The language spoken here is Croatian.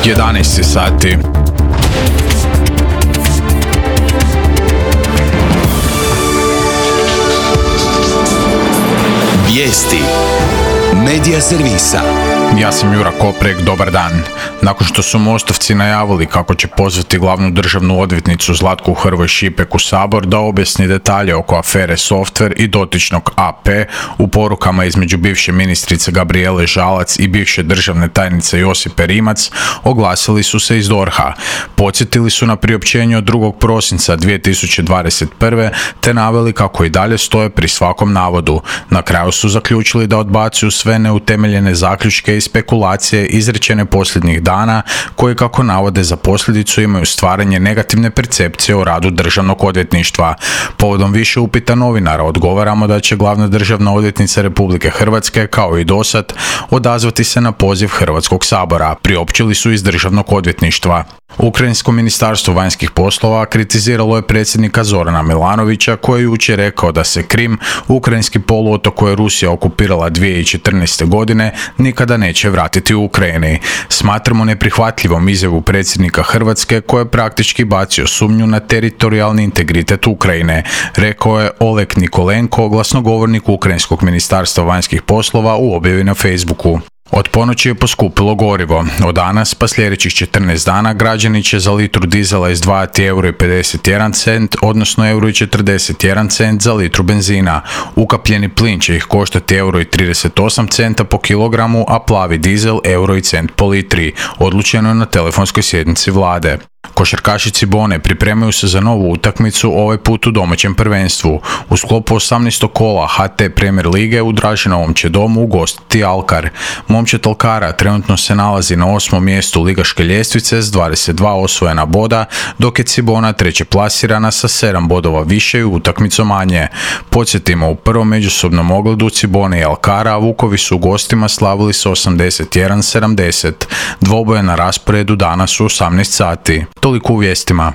11 sati. Vijesti Medija servisa. Ja sam Jura Koprek, dobar dan. Nakon što su Mostovci najavili kako će pozvati glavnu državnu odvjetnicu Zlatku Hrvoj Šipek u Sabor da objasni detalje oko afere Softver i dotičnog AP u porukama između bivše ministrice Gabrijele Žalac i bivše državne tajnice Josipe Rimac, oglasili su se iz DORH-a. Podsjetili su na priopćenje od 2. prosinca 2021. te naveli kako i dalje stoje pri svakom navodu. Na kraju su zaključili da odbacuju sve neutemeljene zaključke i spekulacije izrečene posljednjih dana koje, kako navode, za posljedicu imaju stvaranje negativne percepcije o radu državnog odvjetništva. Povodom više upita novinara odgovaramo da će glavna državna odvjetnica Republike Hrvatske, kao i dosad, odazvati se na poziv Hrvatskog sabora, priopćili su iz državnog odvjetništva. Ukrajinsko ministarstvo vanjskih poslova kritiziralo je predsjednika Zorana Milanovića koji je jučer rekao da se Krim, ukrajinski poluotok koji je Rusija okupirala 2014. godine, nikada neće vratiti u Ukrajini. Smatramo neprihvatljivom izjavu predsjednika Hrvatske koji je praktički bacio sumnju na teritorijalni integritet Ukrajine, rekao je Oleg Nikolenko, glasnogovornik Ukrajinskog ministarstva vanjskih poslova, u objavi na Facebooku. Od ponoći je poskupilo gorivo. Od danas pa sljedećih 14 dana građani će za litru dizela izdvajati €1,51, odnosno €1,41 za litru benzina. Ukapljeni plin će ih koštati €1,38 po kilogramu, a plavi dizel €1 po litri, odlučeno je na telefonskoj sjednici vlade. Košarkaši Cibone pripremaju se za novu utakmicu, ovaj put u domaćem prvenstvu. U sklopu 18. kola HT Premier lige u Draženovom će domu ugostiti Alkar. Momčad Alkara trenutno se nalazi na 8. mjestu ligaške ljestvice s 22 osvojena boda, dok je Cibona treće plasirana sa 7 bodova više i utakmicom manje. Podsjetimo, u prvom međusobnom ogledu Cibone i Alkara Vukovi su u gostima slavili s 81-70. Dvoboje na rasporedu danas u 18 sati. Toliko u vijestima.